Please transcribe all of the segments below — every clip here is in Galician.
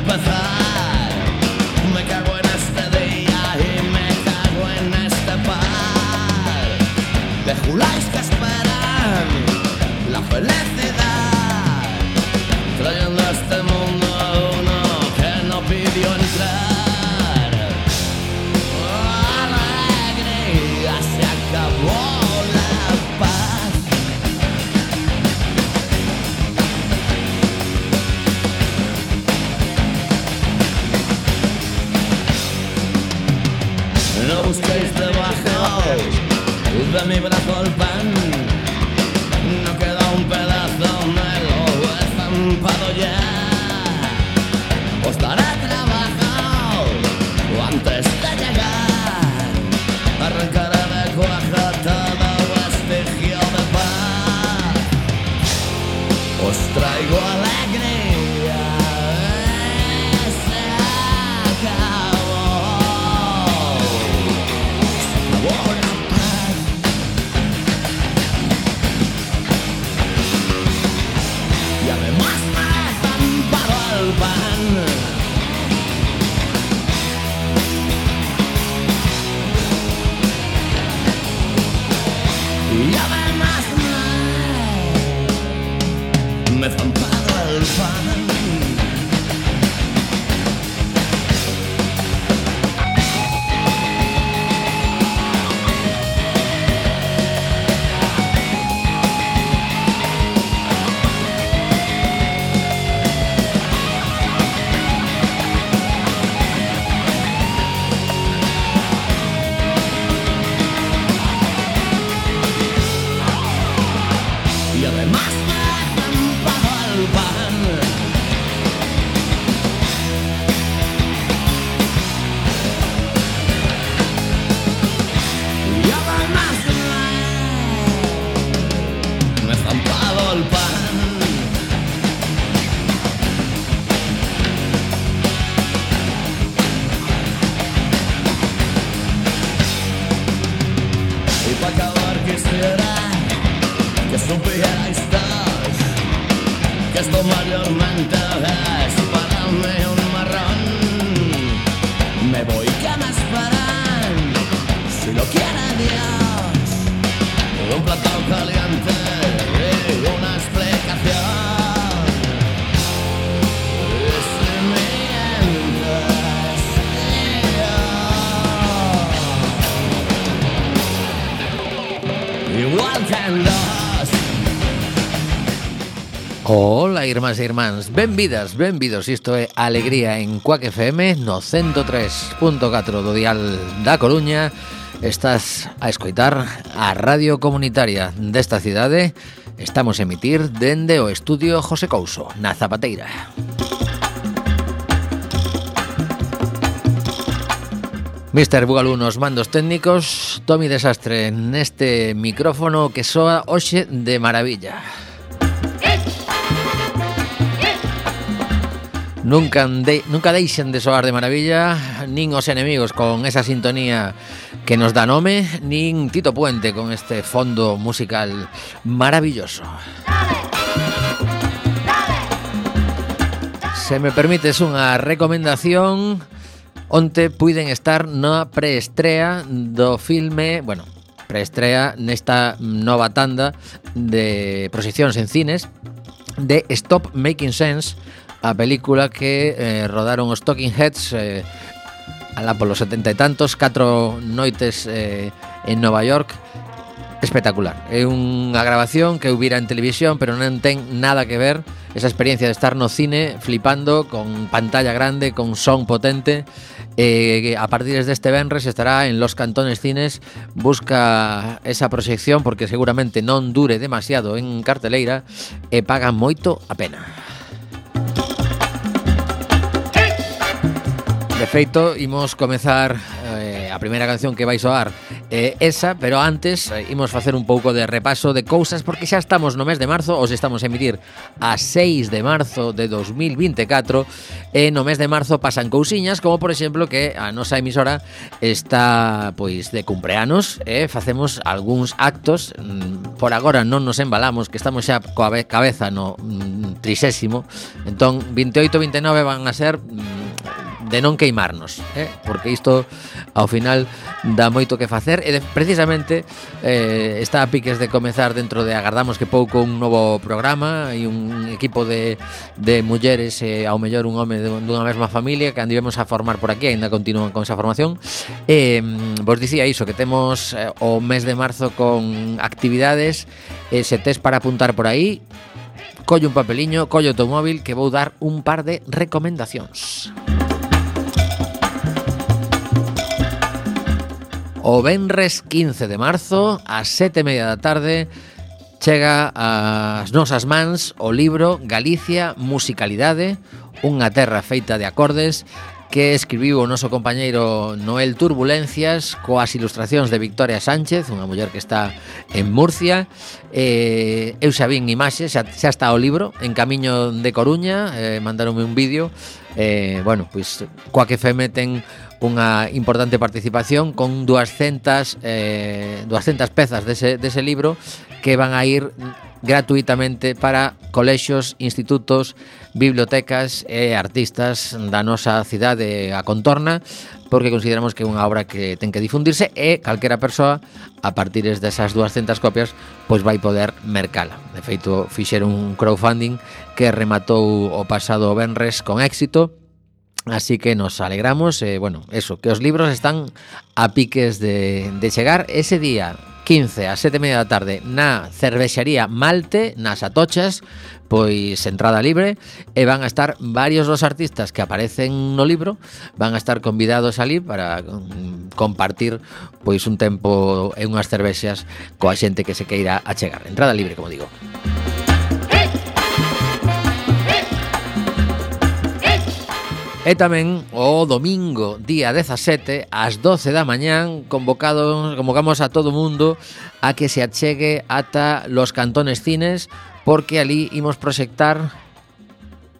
empezar. Me cago en este día y me cago en este par de juláis que esperan la felicidad, trayendo a este mundo a uno que no pidió entrar. Alegría, se acabó la paz. No busquéis debajo de mi brazo el pan, no queda un pedazo, me lo he estampado ya. Os daré trabajo antes de llegar, arrancaré de cuaja todo vestigio de paz. Os traigo alegría, se acabó. Y además me he estampado el pan. Y además me he estampado el pan. Y además me he estampado el pan. Y además me he estampado el pan. Y para acabar quisiera que supierais todos que esto mayormente es para mí un marrón. Me voy, que me esperan, si lo quiere Dios, un plato caliente y una explicación. Y si mientes, igual que en dos. Hola, irmás e irmáns, benvidas, benvidos. Isto é Alegría en Cuac FM no 103.4 do dial da Coruña. Estás a escoitar a radio comunitaria desta cidade. Estamos a emitir dende o estudio José Couso, na Zapateira. Mr. Bugalú nos mandos técnicos, Tomi Desastre neste micrófono que soa hoxe de maravilla. Nunca deixen de soar de maravilla nin os enemigos con esa sintonía que nos dá nome, nin Tito Puente con este fondo musical maravilloso. Se me permites unha recomendación, onte puiden estar na preestrea do filme, bueno, preestrea nesta nova tanda de proxeccións en cines de Stop Making Sense, a película que rodaron os Talking Heads alá polos 70 e tantos, 4 noites en Nova York. Espectacular. É unha grabación que eu vira en televisión, pero non ten nada que ver esa experiencia de estar no cine flipando con pantalla grande, con son potente. A partir deste venres estará en Los Cantones Cines. Busca esa proxección porque seguramente non dure demasiado en carteleira e paga moito a pena. De feito, imos comezar a primeira canción que vai soar esa, pero antes imos facer un pouco de repaso de cousas porque xa estamos no mes de marzo, os estamos a emitir a 6 de marzo de 2024 e no mes de marzo pasan cousiñas como por exemplo que a nosa emisora está pois de cumpleanos e facemos algúns actos, por agora non nos embalamos que estamos xa coa cabeza no 30º, entón 28 e 29 van a ser de non queimarnos, porque isto ao final dá moito que facer e precisamente está a piques de comezar dentro de agardamos que pouco un novo programa e un equipo de mulleres e ao mellor un home dunha mesma familia que andivemos a formar por aquí, ainda continúan con esa formación vos dicía iso, que temos o mes de marzo con actividades se tes para apuntar por aí colle un papeliño, colle o teu móvil que vou dar un par de recomendacións. O venres 15 de marzo, ás 7:30 da tarde, chega ás nosas mans o libro Galicia, musicalidade, unha terra feita de acordes, que escribiu o noso compañeiro Noel Turbulencias coas ilustracións de Victoria Sánchez, unha muller que está en Murcia. Eu xa vin imaxes, xa está o libro en camiño de Coruña, mandaronme un vídeo. Bueno, pois Quack FM ten unha importante participación con 200 pezas dese libro que van a ir gratuitamente para colexios, institutos, bibliotecas e artistas da nosa cidade a contorna, porque consideramos que é unha obra que ten que difundirse e calquera persoa a partir desas 200 copias pois vai poder mercala. De feito, fixeron un crowdfunding que rematou o pasado venres con éxito. Así que nos alegramos, bueno, eso, que os libros están a piques de chegar ese día 15 a 7:30 da tarde na cervexería Malte, nas Atochas, pois entrada libre e van a estar varios dos artistas que aparecen no libro, van a estar convidados ali para compartir pois un tempo e unhas cervexas coa xente que se queira achegar. Entrada libre, como digo. E tamén o domingo, día 17, ás 12 da mañán, convocamos a todo o mundo a que se achegue ata Los Cantones Cines, porque ali imos proxectar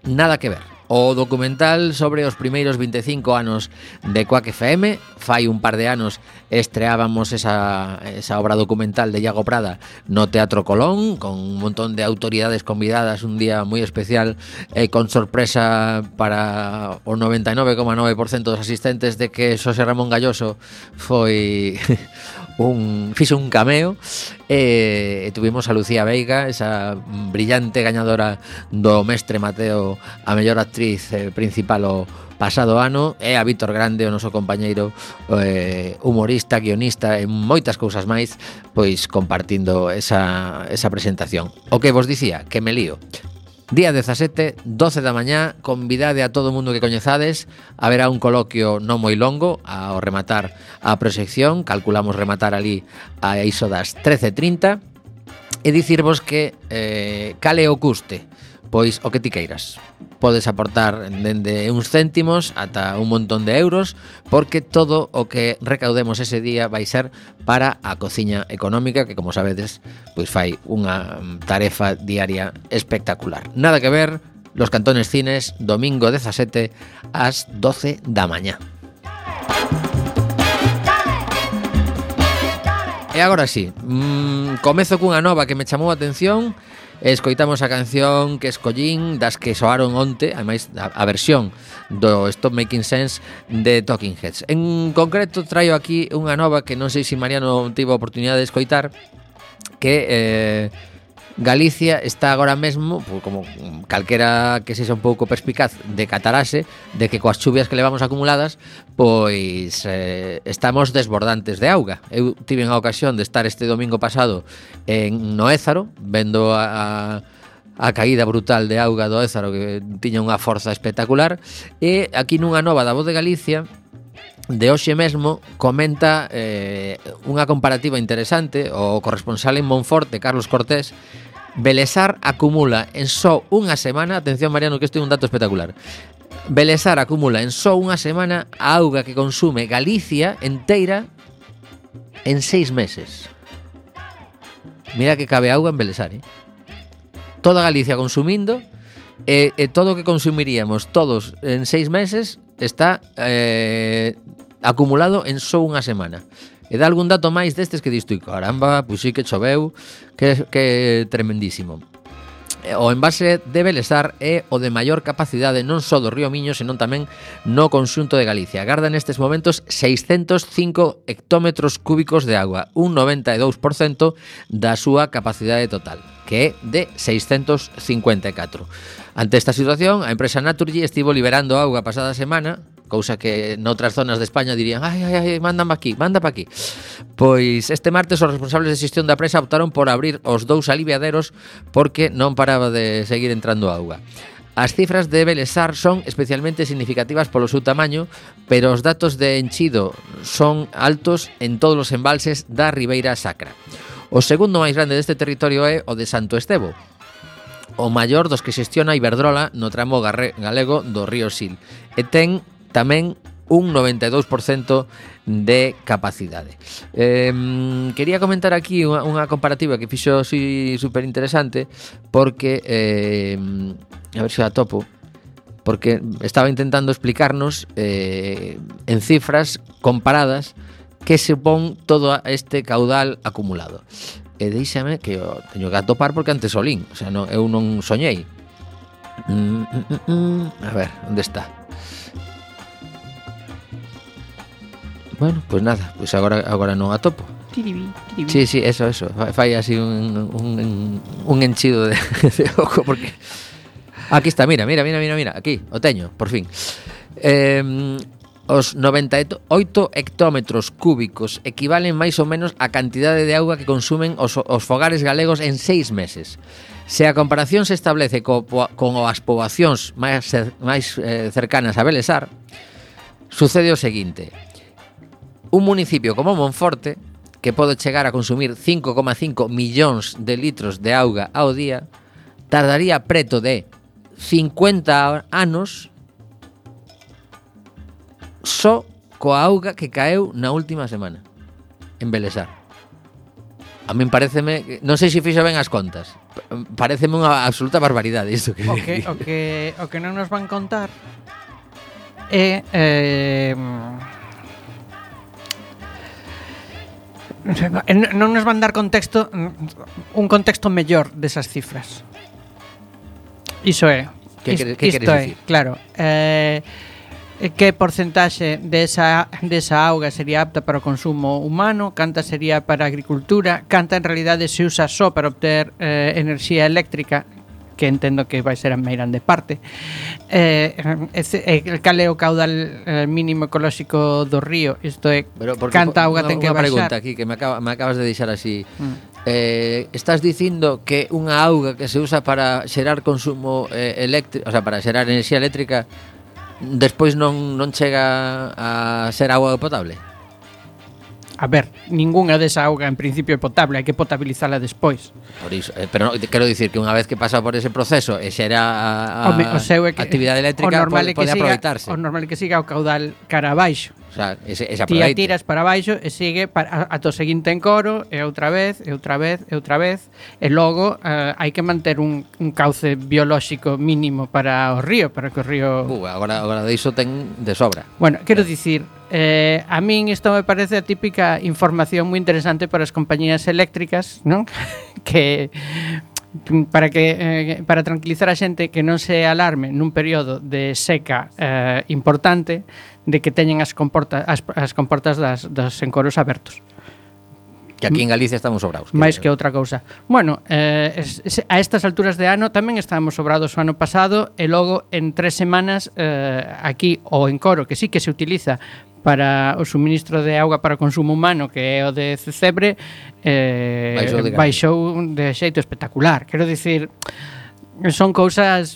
Nada que ver, o documental sobre os primeiros 25 anos de Quack FM. Fai un par de anos estreábamos esa obra documental de Iago Prada no Teatro Colón, con un montón de autoridades convidadas, un día moi especial, con sorpresa para o 99,9% dos asistentes de que Xosé Ramón Galloso foi fixo un cameo e tuvimos a Lucía Veiga, esa brillante gañadora do Mestre Mateo a mellor actriz principal o pasado ano, e a Víctor Grande, o noso compañeiro humorista, guionista e moitas cousas máis, pois compartindo esa presentación. O que vos dicía, que me lío. Día 17, 12 da mañá, convidade a todo o mundo que coñezades. Haberá un coloquio non moi longo ao rematar a proxección. Calculamos rematar ali a iso das 13:30. E dicirvos que cale o custe, pois o que ti queiras. Podes aportar dende uns céntimos ata un montón de euros, porque todo o que recaudemos ese día vai ser para a cociña económica, que como sabedes, pois fai unha tarefa diaria espectacular. Nada que ver, Los Cantones Cines, domingo 17 ás 12 da mañá. E agora sí, comezo cunha nova que me chamou a atención. Escoitamos a canción que escollín das que soaron onte, ademais a versión do Stop Making Sense de Talking Heads. En concreto traio aquí unha nova que non sei se Mariano tivo a oportunidade de escoitar, que Galicia está agora mesmo, como calquera que sexa un pouco perspicaz, de catarase, de que coas chuvias que levamos acumuladas, pois estamos desbordantes de auga. Eu tive a ocasión de estar este domingo pasado en Ézaro, vendo a caída brutal de auga do Ézaro, que tiña unha forza espectacular, e aquí nunha nova da Voz de Galicia, de hoxe mesmo, comenta unha comparativa interesante. O corresponsal en Monforte, Carlos Cortés, Belesar acumula en só unha semana, atención Mariano que isto é un dato espectacular, Belesar acumula en só unha semana a auga que consume Galicia enteira en 6 meses. Mira que cabe auga en Belesar, Toda Galicia consumindo, todo o que consumiríamos todos en 6 meses está acumulado en só unha semana. E dá algún dato máis destes que disto, caramba, pois sí que choveu, que tremendísimo. O envase de Belesar é o de maior capacidade non só do río Miño, senón tamén no conxunto de Galicia. Garda nestes momentos 605 hectómetros cúbicos de agua, un 92% da súa capacidade total, que é de 654. Ante esta situación, a empresa Naturgy estivo liberando auga pasada semana, cousa que noutras zonas de España dirían ai, manda pa aquí. Pois este martes os responsables de xestión da presa optaron por abrir os 2 aliviaderos porque non paraba de seguir entrando auga. As cifras de Belesar son especialmente significativas polo seu tamaño, pero os datos de enchido son altos en todos os embalses da Ribeira Sacra. O segundo máis grande deste territorio é o de Santo Estevo, o maior dos que xestiona Iberdrola no tramo galego do río Sil, e ten tamén un 92% de capacidade. Quería comentar aquí unha comparativa que fixo super interesante, porque a ver se a topo, porque estaba intentando explicarnos en cifras comparadas que supón todo este caudal acumulado. E deixame que eu teño que atopar porque antes o lín, o sea, eu non soñei. A ver, onde está? Bueno, pues nada, pues agora non atopo. Sí, eso. Fai así un enchido de ojo porque aquí está, mira, aquí, o teño, por fin. Os 98 hectómetros cúbicos equivalen máis ou menos á cantidade de auga que consumen os fogares galegos en 6 meses. Se a comparación se establece con as poboacións máis cercanas a Belesar, sucede o seguinte: un municipio como Monforte, que pode chegar a consumir 5,5 millóns de litros de auga ao día, tardaría preto de 50 anos só coa auga que caeu na última semana en Belesar. A min pareceme, non sei se fixo ben as contas, pareceme unha absoluta barbaridade isto que o que non nos van contar é non nos van dar contexto, un contexto mellor desas cifras. Iso é. Que queres dicir? Claro. Que porcentaxe desa auga sería apta para o consumo humano, canta sería para a agricultura, canta en realidade se usa só para obter enerxía eléctrica, que entendo que vai ser a meirande parte. Cal é o caudal mínimo ecolóxico do río? Isto é, canta auga ten que baixar. Unha pregunta aquí que me acabas de deixar así. Estás dicindo que unha auga que se usa para xerar consumo eléctrico, o sea, para xerar enerxía eléctrica, despois non chega a ser auga potable? A ver, ningunha desa auga en principio é potable, hai que potabilizala despois. Por iso, pero quero dicir que unha vez que pasa por ese proceso e xera a actividade eléctrica pode aproveitarse. O normal é que siga o caudal cara abaixo. O sea, ese ti a tiras para abaixo e sigue ata o seguinte encoro e outra vez, e logo hai que manter un cauce biolóxico mínimo para o río, para que o río... Agora iso ten de sobra. Bueno, quero dicir, a min isto me parece a típica información moi interesante para as compañías eléctricas, non? Que para tranquilizar a xente que non se alarme nun período de seca importante, de que teñen as comportas dos encoros abertos. Que aquí en Galicia estamos sobrados. Mais que outra cousa. Bueno, a estas alturas de ano tamén estábamos sobrados o ano pasado, e logo en 3 semanas aquí o encoro, que sí que se utiliza para o suministro de auga para consumo humano, que é o de Cebre, baixou de xeito espectacular. Quero dicir, son cousas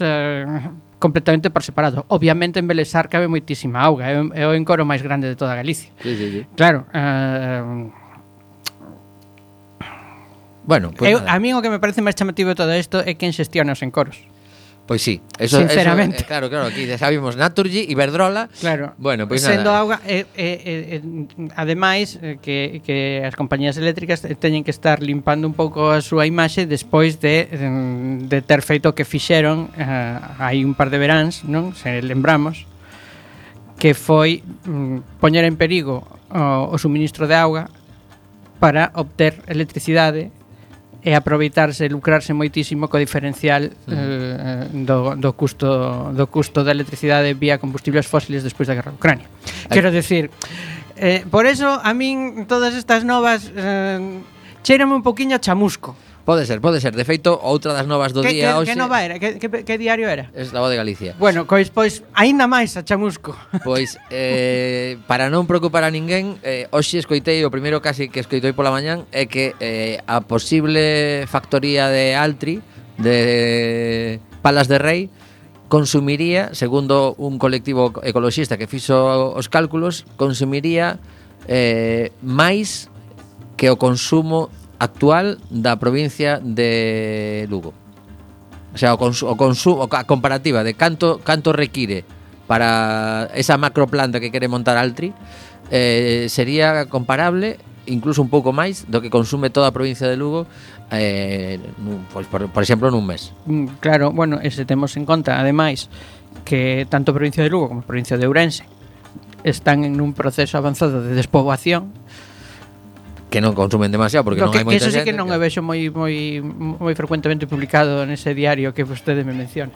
completamente por separado. Obviamente en Belesar cabe moitísima auga, é o encoro máis grande de toda Galicia. Sí. Claro. Bueno, pues a mí o que me parece máis chamativo de todo isto é quen xestiona os encoros. Pois sí, eso, sinceramente. Claro, aquí xa vimos Naturgy, Iberdrola. Claro. Bueno, pois sendo nada. auga ademais que as compañías eléctricas teñen que estar limpando un pouco a súa imaxe despois de ter feito o que fixeron hai un par de veráns, non? Se lembramos que foi poñer en perigo o suministro de auga para obter electricidade e aproveitarse, lucrarse moitísimo co diferencial do custo da electricidade vía combustibles fósiles despois da guerra de Ucrania. Quero decir, por eso a min todas estas novas cheirame un poquinho a chamusco. Pode ser. De feito, outra das novas do día hoxe. Que nova era? Que diario era? Es La Voz de Galicia. Bueno, pois aínda máis a chamusco. Pois, para non preocupar a ninguén, hoxe escoitei, o primeiro casi que escoitei pola mañán, é que a posible factoría de Altri, de Palas de Rei, consumiría, segundo un colectivo ecoloxista que fixo os cálculos, consumiría máis que o consumo actual da provincia de Lugo. O sea, a comparativa de canto require para esa macroplanta que quere montar Altri, sería comparable, incluso un pouco máis do que consume toda a provincia de Lugo, pues, por exemplo, nun mes. Claro, bueno, ese temos en conta, ademais, que tanto a provincia de Lugo como a provincia de Ourense están en un proceso avanzado de despoboación, que non consumen demasiado porque non hai moita xente. Que eso sí xente, que non o vexo moi frecuentemente publicado nese diario que vostede me menciona.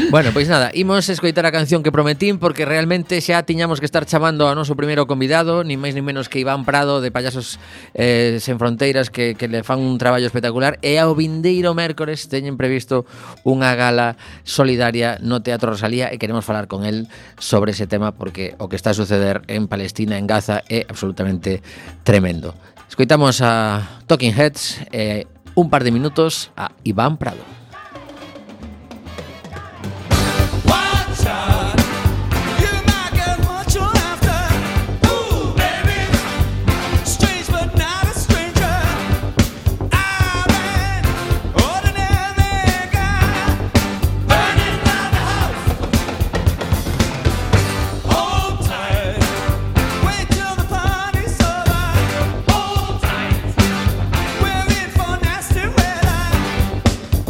Bueno, pois nada, imos escoitar a canción que prometín porque realmente xa tiñamos que estar chamando ao noso primeiro convidado, nin máis nin menos que Iván Prado de Payasos Sen Fronteiras que le fan un traballo espectacular e ao vindeiro mércores teñen previsto unha gala solidaria no Teatro Rosalía e queremos falar con el sobre ese tema porque o que está a suceder en Palestina, en Gaza, é absolutamente tremendo. Escoitamos a Talking Heads un par de minutos a Iván Prado.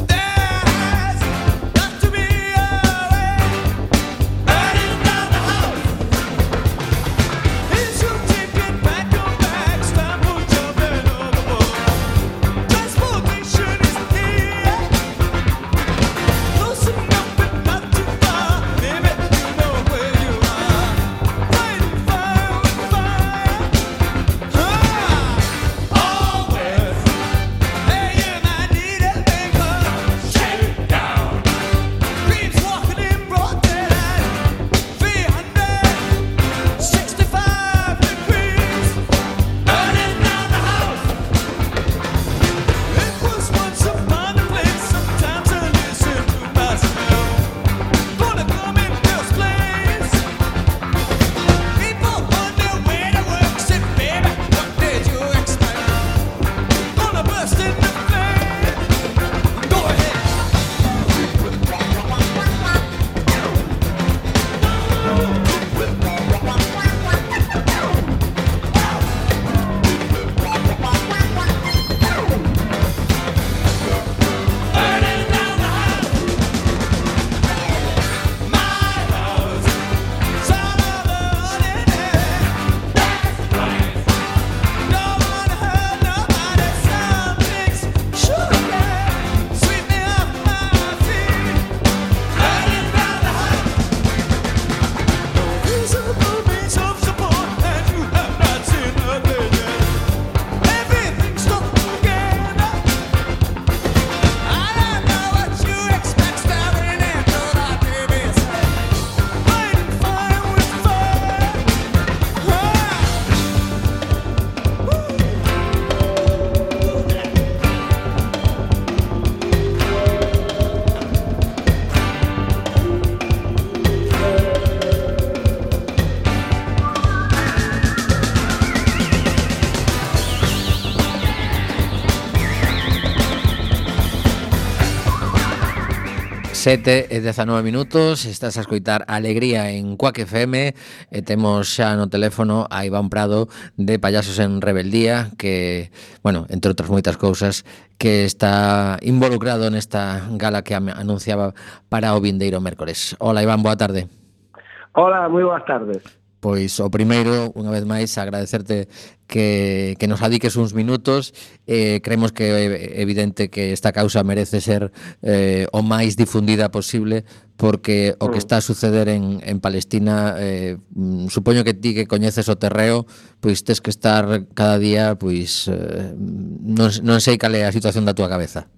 There 7:19, estás a escoitar Alegría en Cuac FM e temos xa no teléfono a Iván Prado de Payasos en Rebeldía que, bueno, entre outras moitas cousas, que está involucrado nesta gala que anunciaba para o vindeiro mércores. Hola Iván, boa tarde. Hola, moi boas tardes. Pois o primeiro, unha vez máis, agradecerte que nos adiques uns minutos. Creemos que é evidente que esta causa merece ser o máis difundida posible, porque o que está a suceder en Palestina, supoño que ti que coñeces o terreo, pois tes que estar cada día, pois non sei cal é a situación da túa cabeza.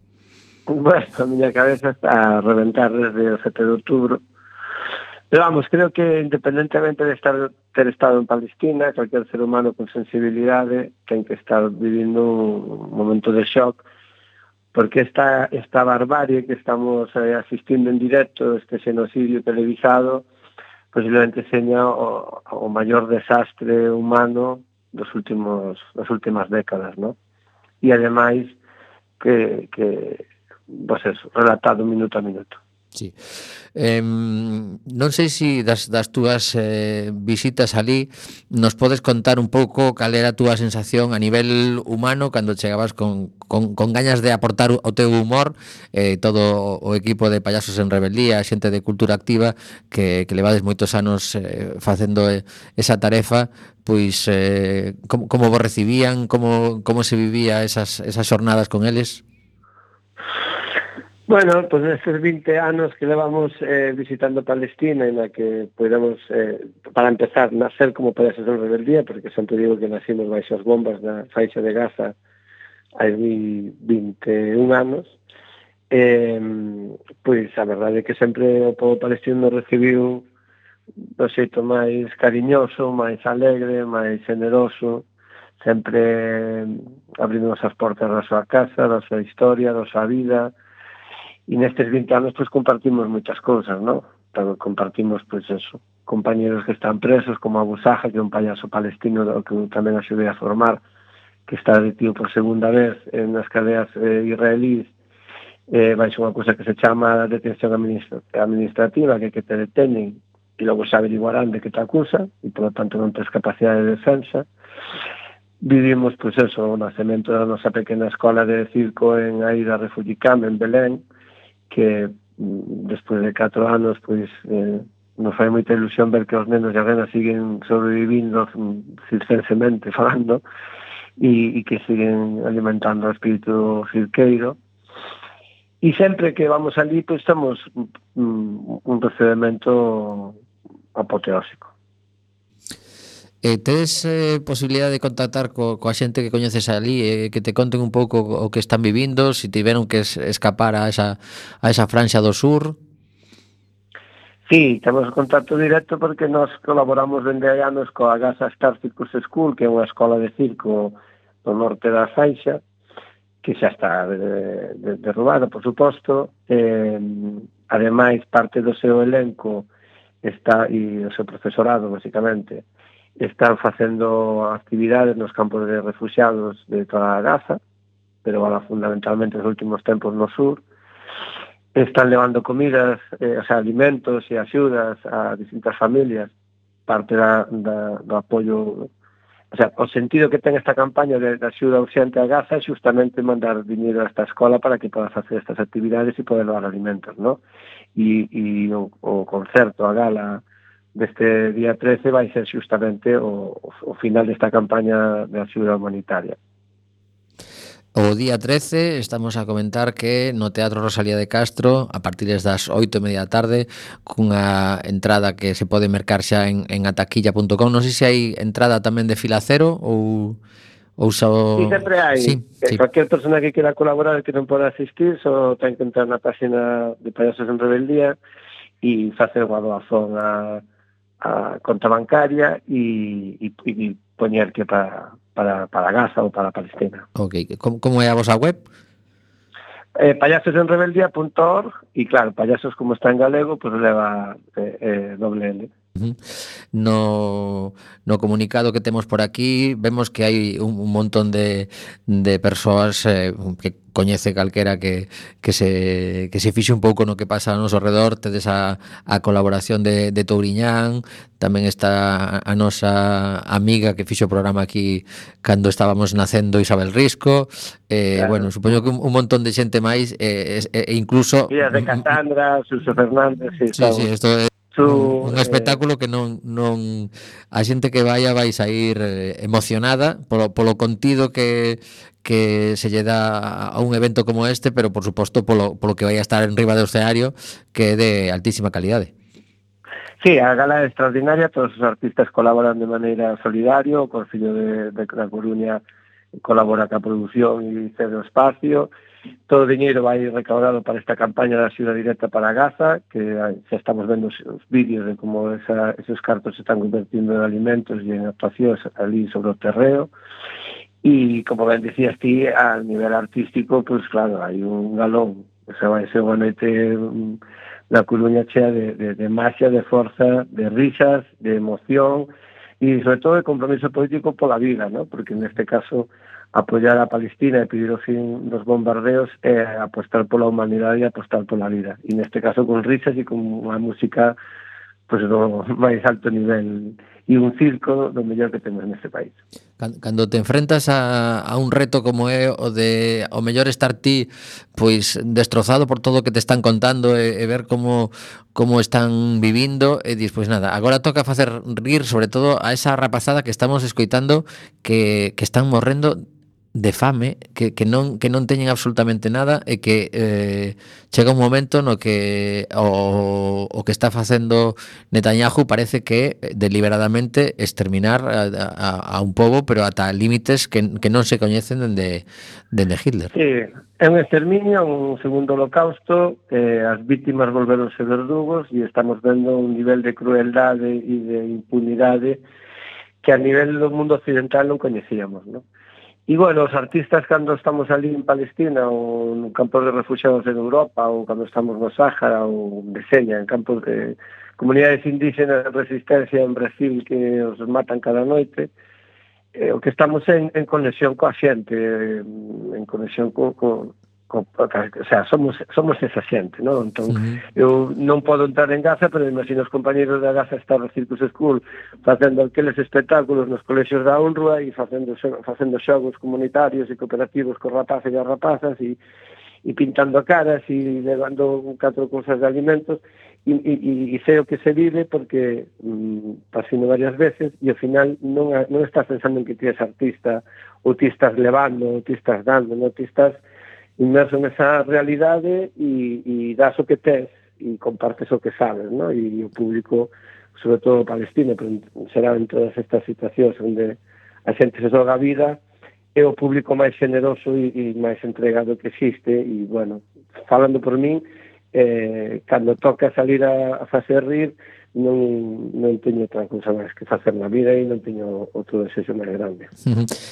Bueno, a miña cabeza está a reventar desde o 7 de outubro. Pero vamos, creo que independentemente de ter estado en Palestina, cualquier ser humano con sensibilidade ten que estar vivindo un momento de shock, porque esta barbarie que estamos asistindo en directo, este xenocidio televisado, posiblemente seña o maior desastre humano das últimas décadas, ¿no? E ademais que pues eso, relatado minuto a minuto. Sí. Non sei se das túas visitas ali nos podes contar un pouco cal era a túa sensación a nivel humano cando chegabas con gañas de aportar o teu humor, todo o equipo de Payasos en Rebeldía, xente de Cultura Activa que levades moitos anos facendo esa tarefa, pois como vos recibían, como se vivía esas xornadas con eles? Bueno, pues nestes 20 anos que levamos visitando Palestina, en la que podemos, para empezar, nacer como Payasos en Rebeldía, porque sempre digo que nacimos baixo as bombas da faixa de Gaza hai 21 anos, pois a verdade é que sempre o povo palestino nos recibiu do xeito máis cariñoso, máis alegre, máis generoso, sempre abrindo as portas da súa casa, da súa historia, da súa vida. E nestes 20 anos pues compartimos moitas cousas, ¿no? Compartimos pues eso, compañeros que están presos, como Abu Saha, que é un payaso palestino que tamén axudei a formar, que está detido por segunda vez nas cadeas israelíes, baixo unha cousa que se chama detención administrativa, que te detenen e logo se averiguarán de que te acusa e por lo tanto non tens capacidade de defensa. Vivimos pues eso, o nacemento da nosa pequena escola de circo en Aida Refugee Camp en Belén, que despois de 4 anos pois nos fai moita ilusión ver que os nenos e as nenas siguen sobrevivindo circensemente falando e que siguen alimentando o espírito cirqueiro, e sempre que vamos ali pois estamos un procedimento apoteósico. Tes posibilidade de contactar coa xente que coñeces ali, que te conten un pouco o que están vivindo, se tiveron que escapar a esa franxa do sur? Sí, temos contacto directo porque nos colaboramos dende hai anos coa Gaza Star Circus School, que é unha escola de circo do norte da faixa, que xa está derrubada, por suposto. Ademais, parte do seu elenco está, e o seu profesorado, basicamente, están facendo actividades nos campos de refugiados de toda a Gaza, pero ahora fundamentalmente nos últimos tempos no sur. Están levando comidas, alimentos e axudas a distintas familias, parte do apoio. O sentido que ten esta campaña de axuda urxente a Gaza é justamente mandar dinero a esta escola para que poda facer estas actividades e poder dar alimentos, ¿no? E o concerto, a gala deste día 13 vai ser justamente o final desta campaña de axuda humanitaria. O día 13 estamos a comentar que no Teatro Rosalía de Castro, a partir das 8:30 da tarde, cunha entrada que se pode mercar xa en ataquilla.com. Non sei se hai entrada tamén de fila cero ou só... Sí, sempre hai. Sí. Cualquier persona que quera colaborar que non poda asistir só ten que entrar na página de Payasos en Rebeldía e facer unha doazón a conta bancaria e poñer que para Gaza ou para Palestina. Ok, como é a vosa web? Payasosenrebeldía.org e claro, payasos como está en galego, pues leva doble L. No comunicado que temos por aquí vemos que hai un montón de persoas que coñece calquera que se fixe un pouco no que pasa ao noso redor. Tedes a colaboración de Touriñán, tamén está a nosa amiga que fixo o programa aquí cando estábamos nacendo, Isabel Risco, Claro. bueno, supoño que un montón de xente máis, e incluso Días de Casandra, Suso Fernández, sí, isto é un espectáculo que non a xente que vai sair emocionada polo contido que se lle dá a un evento como este, pero por suposto polo que vai a estar en riba do escenario, que é de altísima calidade. Sí, a gala é extraordinaria, todos os artistas colaboran de maneira solidaria, o Concello de Coruña colabora ca produción e cede o espacio. Todo o diñeiro vai recaudado para esta campaña da axuda directa para Gaza, que xa estamos vendo os vídeos de como esos cartos se están convertindo en alimentos e en actuacións ali sobre o terreo. E, como ben dicías ti, a nivel artístico, pues claro, hai un galón. O sea, vai ser unha noite na Coruña chea de magia, de forza, de risas, de emoción e, sobre todo, de compromiso político pola vida, ¿no? Porque, neste caso, apoiar a Palestina e pedir o fin dos bombardeos é apostar pola humanidade e apostar pola vida. E neste caso con risas e con unha música pues, do máis alto nivel e un circo do mellor que temos neste país. Cando te enfrentas a un reto como é o de o mellor estar ti pois destrozado por todo o que te están contando e ver como están vivindo e dis, pois nada, agora toca facer rir sobre todo a esa rapazada que estamos escoitando que están morrendo de fame, que non teñen absolutamente nada e que chega un momento no que o que está facendo Netanyahu parece que deliberadamente exterminar a un pobo, pero ata límites que non se coñecen dende Hitler. Sí, é un exterminio, un segundo holocausto, as vítimas volveronse verdugos e estamos vendo un nivel de crueldade e de impunidade que a nivel do mundo occidental non coñecíamos, non? E, bueno, os artistas cando estamos ali en Palestina ou no campos de refugiados en Europa ou cando estamos no Sáhara ou de Seña, en campos de comunidades indígenas de resistencia en Brasil que os matan cada noite, o que estamos en conexión coa xente, en conexión o sea, somos esa xente, non? Entón, eu non podo entrar en Gaza, pero imagino os compañeros da Gaza Star Circus School facendo aqueles espectáculos nos colexios da UNRWA e facendo xogos comunitarios e cooperativos cos rapaces e as rapazas e pintando caras e levando 4 cousas de alimentos e sei o que se vive porque pasino varias veces e ao final non estás pensando en que ti és artista ou ti estás levando, ou ti estás dando, non ti estás inmerso nesa realidade e das o que tes e compartes o que sabes, ¿no? E o público, sobre todo o palestino, pero será en todas estas situacións onde a xente se xoga a vida, é o público máis generoso e máis entregado que existe e, bueno, falando por min, cando toca salir a facer rir, non teño outra cousa máis que facer na vida e non teño outro desexo máis grande.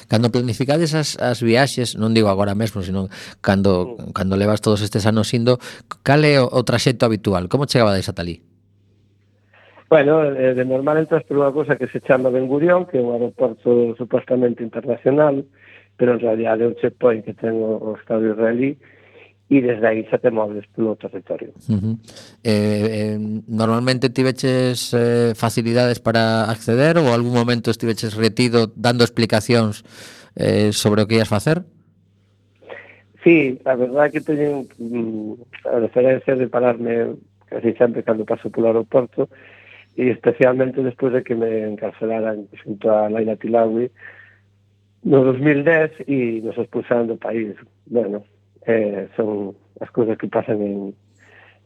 Cando planificades as viaxes, non digo agora mesmo, sino cando levas todos estes anos indo, cal é o traxecto habitual? Como chegabades ata ali? Bueno, de normal entras por unha cousa que se chama Ben Gurión, que é un aeroporto supostamente internacional, pero en realidad é un checkpoint que ten o Estado israelí, e desde aí xa te moves polo territorio. Normalmente tiveches facilidades para acceder ou algún momento estiveches retido dando explicacións sobre o que ias facer? Sí, a verdade que teñen a referencia de pararme casi sempre cando paso polo aeroporto e especialmente despois de que me encarcelaran xunto a Laila Tilawi no 2010 e nos expulsaron do país. Bueno, son as cousas que pasan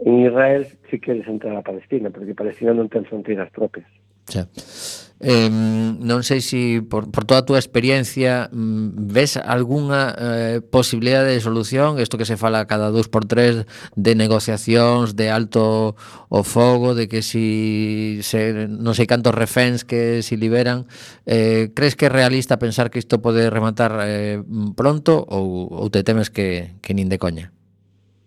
en Israel se queres entrar a Palestina, porque Palestina non ten fronteiras propias. Xa. Non sei se por toda a túa experiencia ves algunha posibilidade de solución, isto que se fala cada 2x3 de negociacións de alto o fogo, de que si non sei cantos reféns que se liberan, crees que é realista pensar que isto pode rematar pronto ou te temes que nin de coña?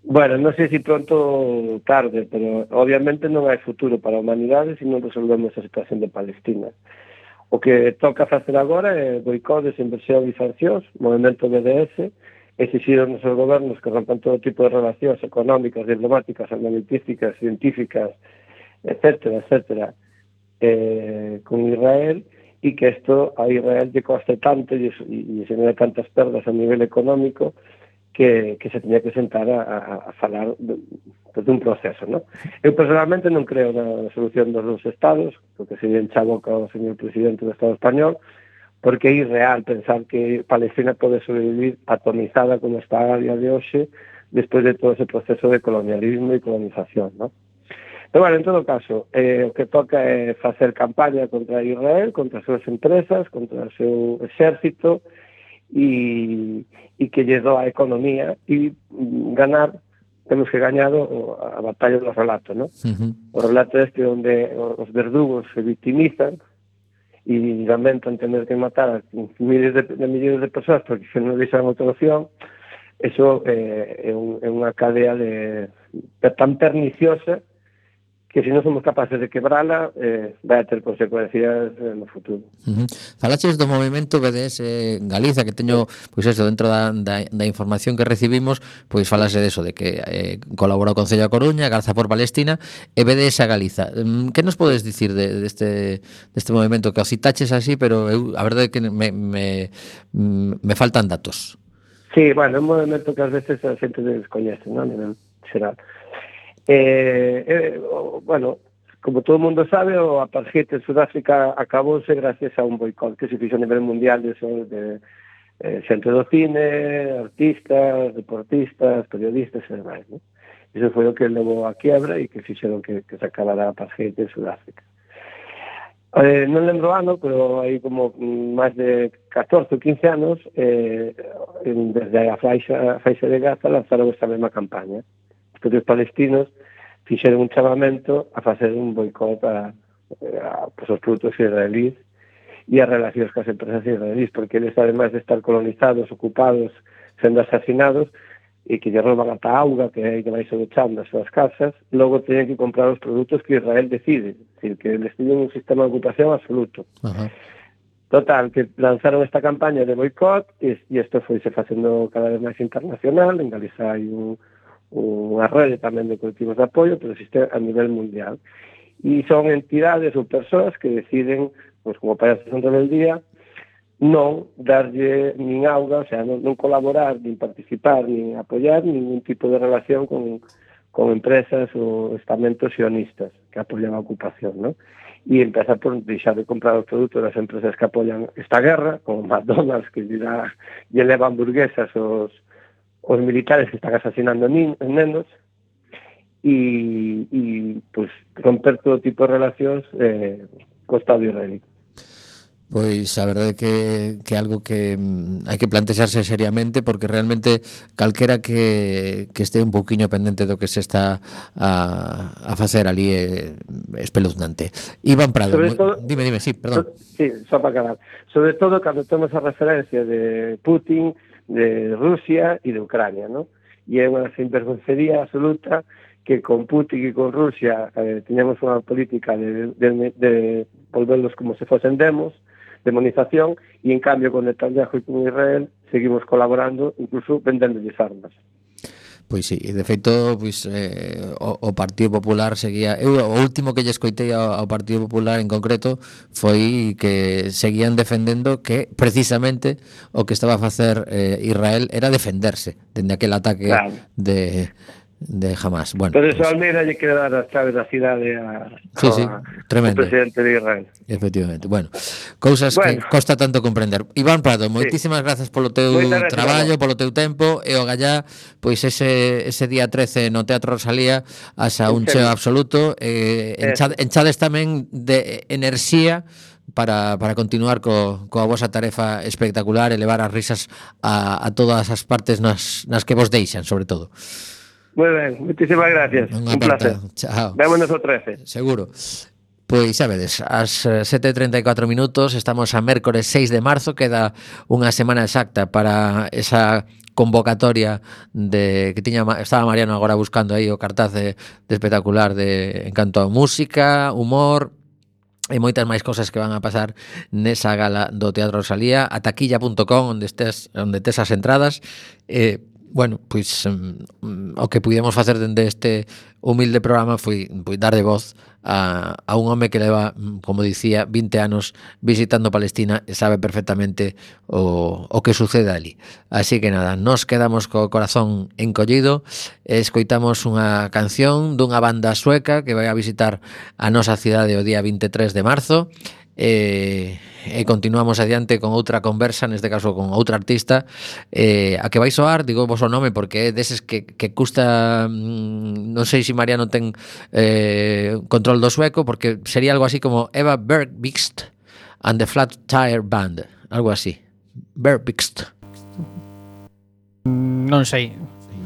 Bueno, non sei se pronto ou tarde, pero obviamente non hai futuro para a humanidade se non resolvemos a situación de Palestina. O que toca facer agora é boicotes, inversión e sancións, movimento BDS, exixir aos nosos gobernos que rompan todo tipo de relacións económicas, diplomáticas, armamentísticas, científicas, etcétera, con Israel, e que isto a Israel lle coste tanto e genera tantas perdas a nivel económico que se tenía que sentar a falar dun proceso, ¿no? Eu personalmente non creo na solución dos dos estados, porque se encha a boca o señor presidente do Estado español, porque é irreal pensar que Palestina pode sobrevivir atomizada como está a día de hoxe despois de todo ese proceso de colonialismo e colonización, ¿no? Pero, bueno, en todo caso, o que toca é facer campaña contra Israel, contra as súas empresas, contra o seu exército, e que lle doa a economía e ganar, temos que gañar a batalla do relato, ¿no? O relato este onde os verdugos se victimizan e lamentan tener que matar a miles de millóns de persoas porque se non deixan outra opción. Eso é unha cadea tan perniciosa que se non somos capaces de quebrala, vai a ter consecuencias no futuro. Falaches do movimento BDS Galiza, que teño, pois eso, dentro da información que recibimos, pois falase de eso, de que colabora o Concello da Coruña, Garza por Palestina e BDS Galiza. Que nos podes dicir deste movimento que o citaches así, pero eu, a verdade é que me faltan datos. Sí, bueno, é un movimento que ás veces a xente descoñece, non? A nivel xeral. Bueno, como todo o mundo sabe, o apartheid en Sudáfrica acabouse gracias a un boicot que se fixo a nivel mundial de xente do cine, artistas, deportistas, periodistas e demais, ¿no? Iso foi o que levou a quiebra e que fixeron que se acabara a apartheid en Sudáfrica. Non lembro ano, pero hai como máis de 14 ou 15 anos, desde a faixa de Gaza lanzaron esta mesma campaña. Os palestinos fixeron un chamamento a facer un boicot os produtos israelíes e as relacións cas empresas israelíes, porque eles, ademais de estar colonizados, ocupados, sendo asasinados, e que lle roban ata auga, que é que vai sobechando as súas casas, logo teñen que comprar os produtos que Israel decide, é dicir, que eles tiñen un sistema de ocupación absoluto. Total, que lanzaron esta campaña de boicot e isto foi se facendo cada vez máis internacional. En Galiza hai unha rede tamén de colectivos de apoio, pero existe a nivel mundial. E son entidades ou persoas que deciden, pues, como parece en rebeldía, non darlle nin auga, o sea, non colaborar, nin participar, nin apoiar ningún tipo de relación con empresas ou estamentos sionistas que apoian a ocupación, ¿no? E empezar por deixar de comprar os produtos das empresas que apoian esta guerra, como McDonald's, que lle leva hamburguesas os militares que están asesinando nenos, e pues, romper todo tipo de relacións co Estado israelí. Pois a verdade que algo que hai que plantexarse seriamente, porque realmente calquera que este un pouquiño pendente do que se está a facer ali é espeluznante. Iván Prado, dime, sí, perdón. Sí, só para acabar. Sobre todo cando temos a referencia de Putin, de Rusia e de Ucrania, ¿no? E é unha sinvergoncería absoluta que con Putin e con Rusia teñamos unha política de volverlos como se fosen demonización, e en cambio con Netanyahu e con Israel seguimos colaborando, incluso vendéndolles armas. Pois sí, e de feito pois, o Partido Popular seguía, o último que lle escoitei ao Partido Popular en concreto foi que seguían defendendo que precisamente o que estaba a facer Israel era defenderse dende aquel ataque, claro, de Hamas. Bueno, pero eso, Almeida lle quere dar as chaves da cidade ao presidente de Israel. Efectivamente. Bueno, cousas que costa tanto comprender. Iván Prado, moitísimas grazas polo teu traballo, polo teu tempo, e o gallá, pois ese día 13 no Teatro Rosalía, asa un cheo absoluto, enchades tamén de enerxía para continuar coa vosa tarefa espectacular e levar as risas a todas as partes nas que vos deixan, sobre todo. Moi ben, moitísimas gracias. Un placer. Chao. Vémonos o 13. Seguro. Pois xa vedes, ás 7:34 minutos, estamos a mércores 6 de marzo, queda unha semana exacta para esa convocatoria que estaba Mariano agora buscando aí o cartaz de espectacular en canto a música, humor e moitas máis cosas que van a pasar nesa gala do Teatro Rosalía, a taquilla.com, onde tes as entradas. Bueno, pois o que pudemos facer dende este humilde programa foi darlle voz a un home que leva, como dicía, 20 anos visitando Palestina e sabe perfectamente o que sucede ali. Así que nada, nos quedamos co corazón encollido e escoitamos unha canción dunha banda sueca que vai a visitar a nosa cidade o día 23 de marzo. E continuamos adiante con outra conversa, neste caso con outra artista, a que vai soar, digo vos o nome porque é deses que custa, non sei se Mariano ten control do sueco, porque sería algo así como Eva Bergqvist and the Flat Tire Band, algo así. Bergqvist. Non sei.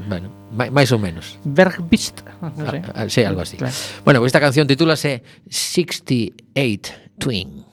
Bueno, máis ou menos. Bergqvist, non sei. Sí, algo así. Claro. Bueno, esta canción titúlase 68 Twin.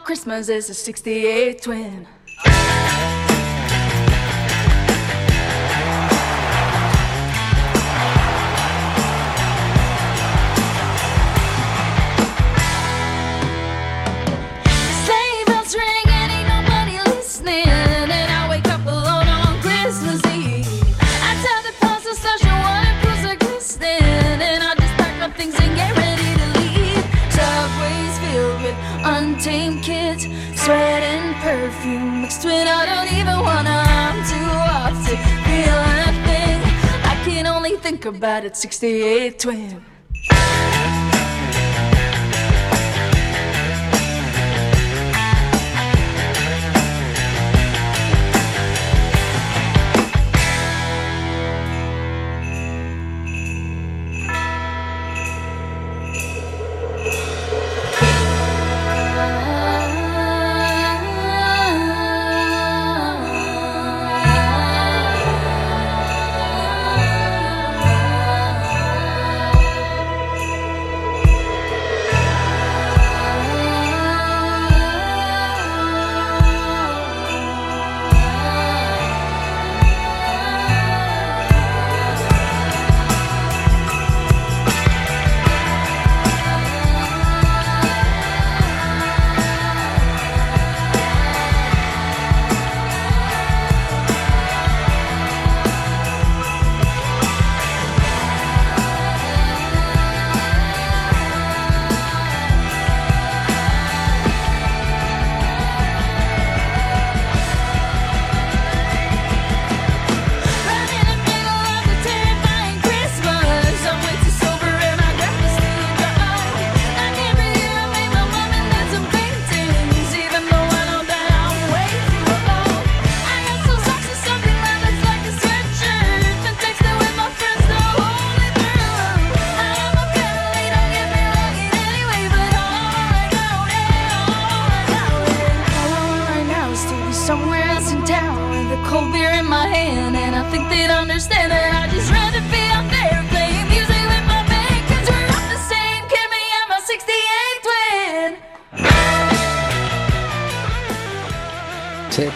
Christmas is a 68 twin. Sleigh bells ring and ain't nobody listening, and I wake up alone on Christmas Eve. I tell the parcel social one and pulls are glistening, and I just pack my things and get ready to leave. Subways filled with untamed kids, sweat and perfume mixed with I don't even wanna. I'm too off to feel a thing. I can only think about it. 68 twin.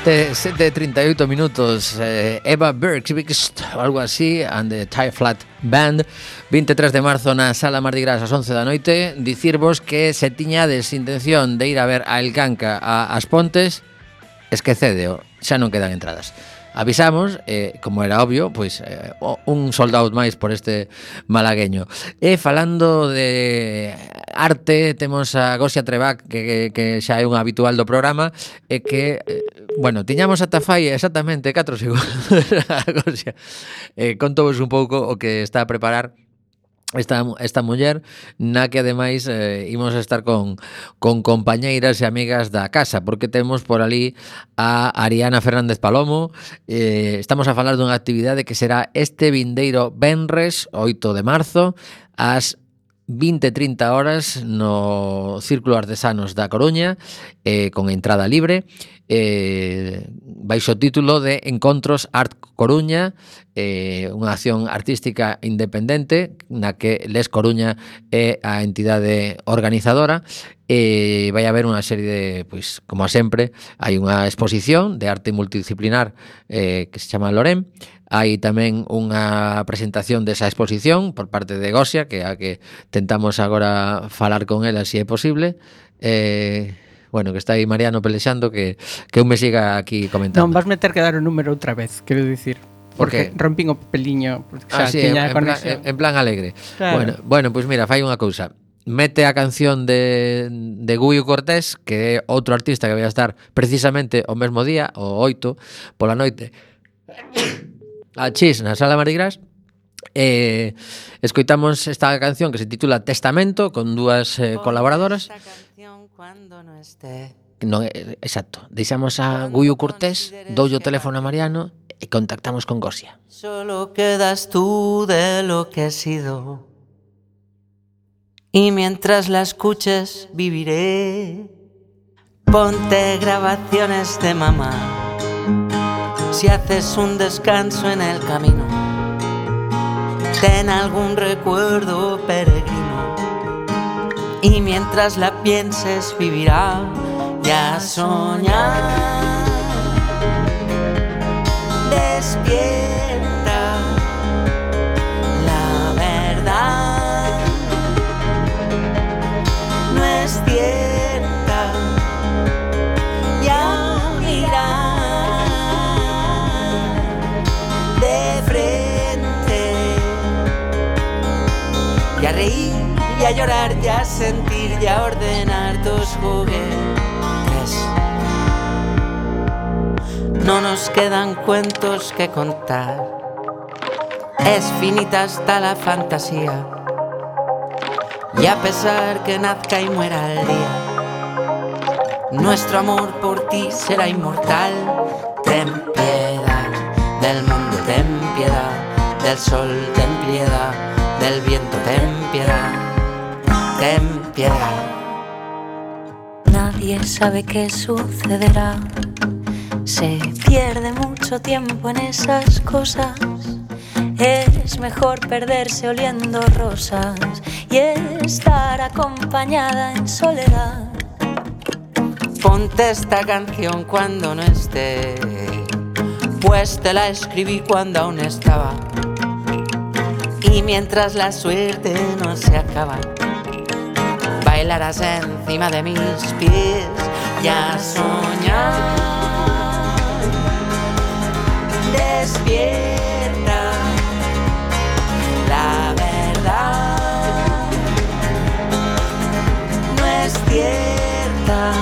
Sete 38 minutos. Eva Bergqvist, algo así, and the Tie Flat Band. 23 de marzo na Sala Mardi Gras ás 11 da noite. Dicirvos que se tiñades intención de ir a ver a El Canca a As Pontes, esquecedeo, xa non quedan entradas. Avisamos, como era obvio, pois un sold out máis por este malagueño. E falando de arte, temos a Gosia Trebac, que xa é un habitual do programa, e que, bueno, tiñamos ata fai exactamente 4 segundos a Gosia. Contovos un pouco o que está a preparar esta muller, na que ademais imos estar con compañeiras e amigas da casa, porque temos por ali a Ariana Fernández Palomo. Estamos a falar dunha actividade que será este vindeiro venres 8 de marzo ás 20-30 horas no Círculo Artesanos da Coruña, con entrada libre, baixo o título de Encontros Art Coruña, unha acción artística independente na que Les Coruña é a entidade organizadora. Vai haber unha serie de, pois, como sempre, hai unha exposición de arte multidisciplinar que se chama Lorem. Hai tamén unha presentación desa exposición por parte de Gosia, que é a que tentamos agora falar con ela se é posible. Bueno, que está aí Mariano pelexando, que eu me siga aquí comentando. Non, vas meter que dar o número outra vez, quero dicir. Porque rompín o papeliño, porque xa sí, tiña en plan alegre. Claro. Bueno, pois mira, fai unha cousa. Mete a canción de Guyo Cortés, que é outro artista que vai a estar precisamente o mesmo día, o 8, pola noite, a Chis na Sala Marigras. Escoitamos esta canción que se titula Testamento, con dúas colaboradoras. Esta canción cuando no esté. Non, exacto. Deixamos a Guyo Cortés, doulle o teléfono a Mariano e contactamos con Gosia. Solo quedas tú de lo que he sido. Y mientras la escuches viviré. Ponte grabaciones de mamá. Si haces un descanso en el camino, ten algún recuerdo peregrino. Y mientras la pienses vivirá ya soñar. Despierta la verdad. No es cierta. Ya mirar de frente. Y a reír, y a llorar, y a sentir, y a ordenar tus juguetes. No nos quedan cuentos que contar. Es finita hasta la fantasía. Y a pesar que nazca y muera el día, nuestro amor por ti será inmortal. Ten piedad del mundo, ten piedad del sol, ten piedad del viento, ten piedad, ten piedad. Nadie sabe qué sucederá. Se pierde mucho tiempo en esas cosas. Es mejor perderse oliendo rosas y estar acompañada en soledad. Ponte esta canción cuando no esté, pues te la escribí cuando aún estaba. Y mientras la suerte no se acaba, bailarás encima de mis pies y a soñar. Despierta la verdad. No es cierta.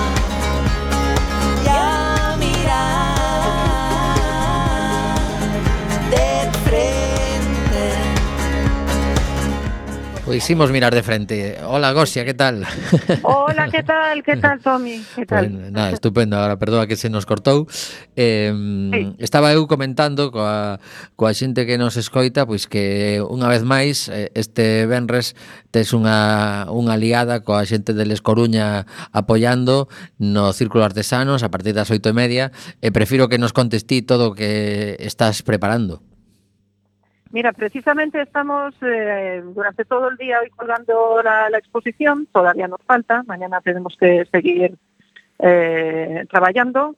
Ya mirar de frente. Pois imos mirar de frente. Hola, Gosia, que tal? Hola, ¿qué tal? ¿Qué tal, Tommy? ¿Qué tal? Pues, nada, estupendo. Ahora, perdoa que se nos cortou. Estaba eu comentando coa xente que nos escoita, pois que unha vez máis este venres tes unha aliada coa xente de Les Coruña apoiando no Círculo Artesanos a partir das 8:30, e prefiro que nos contes ti todo o que estás preparando. Mira, precisamente estamos durante todo el día hoy colgando la exposición, todavía nos falta, mañana tenemos que seguir trabajando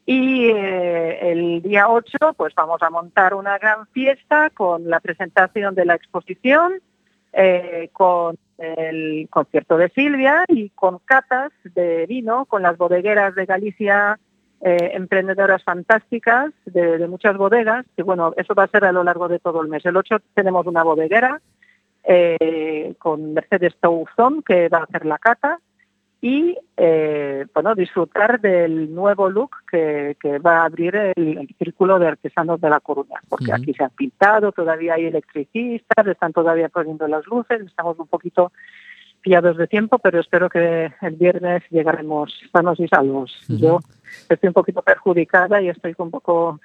y el día 8 pues vamos a montar una gran fiesta con la presentación de la exposición, con el concierto de Silvia y con catas de vino con las bodegueras de Galicia, emprendedoras fantásticas de muchas bodegas, y bueno, eso va a ser a lo largo de todo el mes. El 8 tenemos una bodeguera con Mercedes Touzón que va a hacer la cata y bueno, disfrutar del nuevo look que va a abrir el Círculo de Artesanos de La Coruña, porque aquí se han pintado, todavía hay electricistas, están todavía poniendo las luces, estamos un poquito pillados de tiempo, pero espero que el viernes llegaremos sanos y salvos. Yo estoy un poquito perjudicada y estoy un poco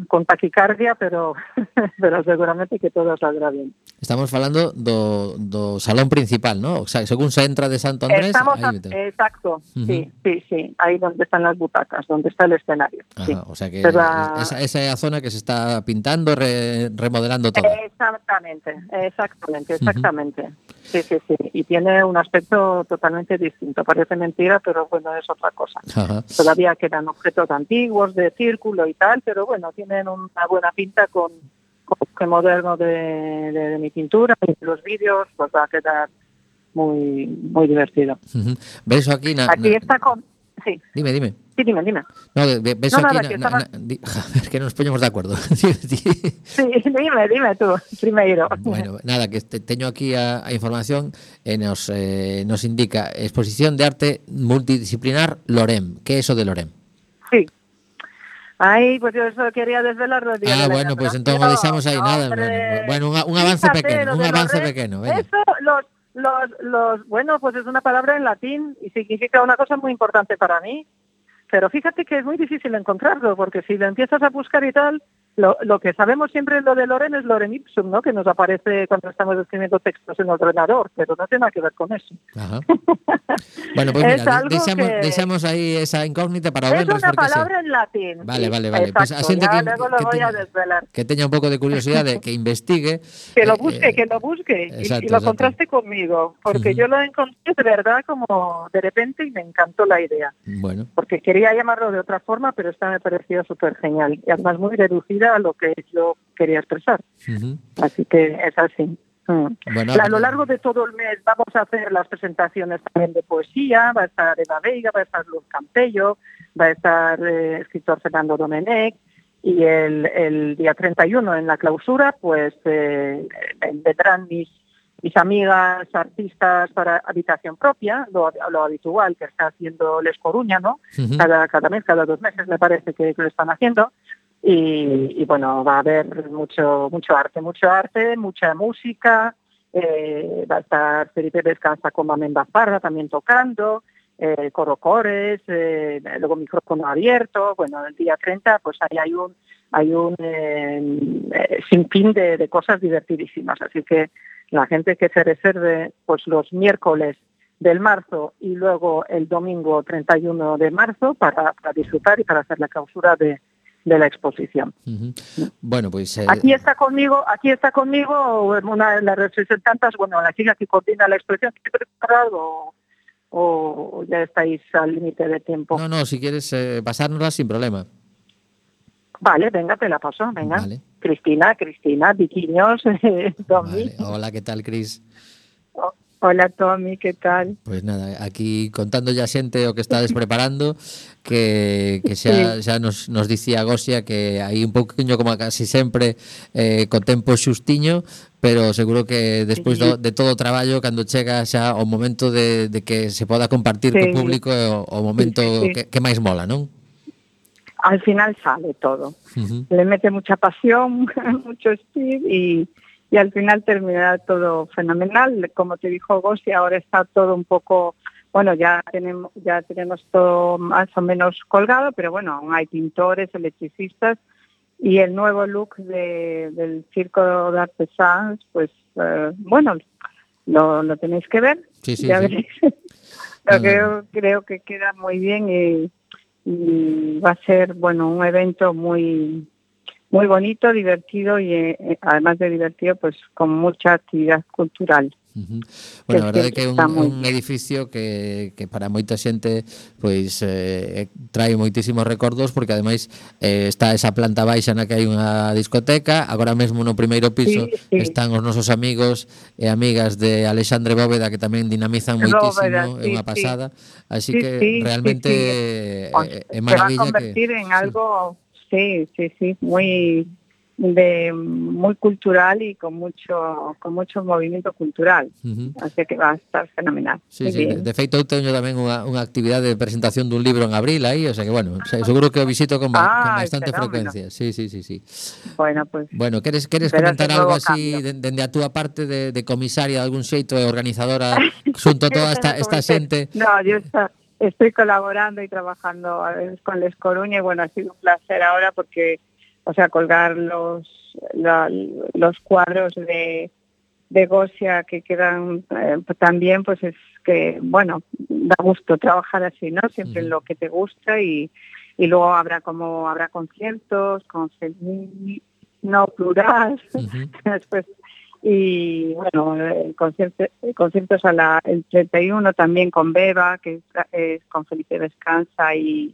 con taquicardia, pero seguramente que todo saldrá bien. Estamos falando do salón principal, ¿no? O sea, según se entra de Santo Andrés... Exacto, Uh-huh. sí, ahí donde están las butacas, donde está el escenario. Ajá, sí. o sea que Pero, esa es la zona que se está pintando, remodelando todo. Exactamente. Sí. Y tiene un aspecto totalmente distinto. Parece mentira, pero bueno, es otra cosa. Ajá. Todavía quedan objetos antiguos de círculo y tal, pero bueno, tienen una buena pinta con el moderno de mi pintura y los vídeos, pues va a quedar muy muy divertido. Uh-huh. ¿Ves aquí? Aquí está con... Sí. Dime. Sí, dime. No, ves No, aquí... nada, que estaba... Es que nos ponemos de acuerdo. Sí, dime tú, primeiro. Bueno, nada, que teño aquí a información nos indica exposición de arte multidisciplinar Lorem. ¿Qué es eso de Lorem? Sí. Ay, pues yo eso quería desvelarlo el día de la bueno, pues entonces lo dejamos ahí, nada. Bueno, un avance pequeño, venga. Eso, bueno, pues es una palabra en latín y significa una cosa muy importante para mí. Pero fíjate que es muy difícil encontrarlo, porque si lo empiezas a buscar y tal, lo que sabemos siempre lo de Lorem es Lorem ipsum, ¿no? Que nos aparece cuando estamos escribiendo textos en el ordenador, pero no tiene nada que ver con eso. Ajá. Bueno, pues mira, dejamos ahí esa incógnita para ver. Es una palabra en latín. Vale. Exacto, Pues a xente luego lo voy a desvelar. Que tenga un poco de curiosidad, de que investigue. Que lo busque exacto, y lo contraste conmigo, porque yo lo encontré de verdad como de repente y me encantó la idea. Bueno. Porque quería llamarlo de otra forma, pero esta me pareció súper genial y además muy reducida a lo que yo quería expresar. Uh-huh. Así que es así. Bueno, a lo largo de todo el mes vamos a hacer las presentaciones también de poesía, va a estar Eva Veiga, va a estar Luz Campello, va a estar escritor Fernando Domenech, y el día 31 en la clausura pues vendrán mis amigas artistas para habitación propia, lo habitual que está haciendo Les Coruña, ¿no? Uh-huh. Cada mes, cada 2 meses me parece que lo están haciendo. Y bueno, va a haber mucho arte, mucha música, va a estar Felipe Descansa con Mamenda Parra también tocando, coro-cores, luego micrófono abierto. Bueno, el día 30 pues ahí hay un sinfín de cosas divertidísimas, así que la gente que se reserve pues los miércoles del marzo y luego el domingo 31 de marzo para disfrutar y para hacer la clausura de la exposición. Uh-huh. Bueno, pues aquí está conmigo una de las representantes, bueno, la chica que coordina la exposición. ¿O ya estáis al límite de tiempo? No, si quieres pasárnosla sin problema. Vale, venga, te la paso, venga. Vale. Cristina, Viquiños, Tommy. Vale. Hola, ¿qué tal, Cris? Hola, Tommy, ¿qué tal? Pues nada, aquí contando ya xente o que estades preparando, que xa nos dicía Gosia que hai un pouquiño como casi sempre co tempo xustiño, pero seguro que despois de todo o traballo, cando chega xa o momento de que se poda compartir co público, o momento que máis mola, non? Al final sale todo. Uh-huh. Le mete mucha pasión, mucho speed y al final terminará todo fenomenal. Como te dijo Gosi, ahora está todo un poco, bueno, ya tenemos todo más o menos colgado, pero bueno, aún hay pintores, electricistas, y el nuevo look del Circo de Artesans, pues bueno, lo tenéis que ver. Sí, ya veréis. Creo que queda muy bien y va a ser, bueno, un evento muy muy bonito, divertido y además de divertido, pues con mucha actividad cultural. Uh-huh. Bueno, a verdade é que é un edificio que para moita xente pois trae moitísimos recordos, porque ademais está esa planta baixa na que hai unha discoteca. Agora mesmo no primeiro piso están os nosos amigos e amigas de Alexandre Bóveda, que tamén dinamizan moitísimo, é unha pasada. Así que realmente é maravilla. Se va a convertir en algo muy cultural y con mucho movimiento cultural. Uh-huh. Así que va a estar fenomenal. Sí. De feito, eu teño tamén unha actividade de presentación dun libro en abril aí, o sea que, bueno, seguro que o visito con bastante frecuencia. Sí. Bueno, queres comentar algo así dende a túa parte de comisaria de algún xeito e organizadora xunto a toda esta xente? No, yo estoy colaborando y trabajando a veces con Les Coruña y bueno, ha sido un placer ahora porque, o sea, colgar los cuadros de de Gosia que quedan también, pues es que, bueno, da gusto trabajar así, ¿no? Siempre en lo que te gusta y luego habrá conciertos, no plural, después, y bueno, conciertos el 31 también con Beba, que es con Felipe Descansa y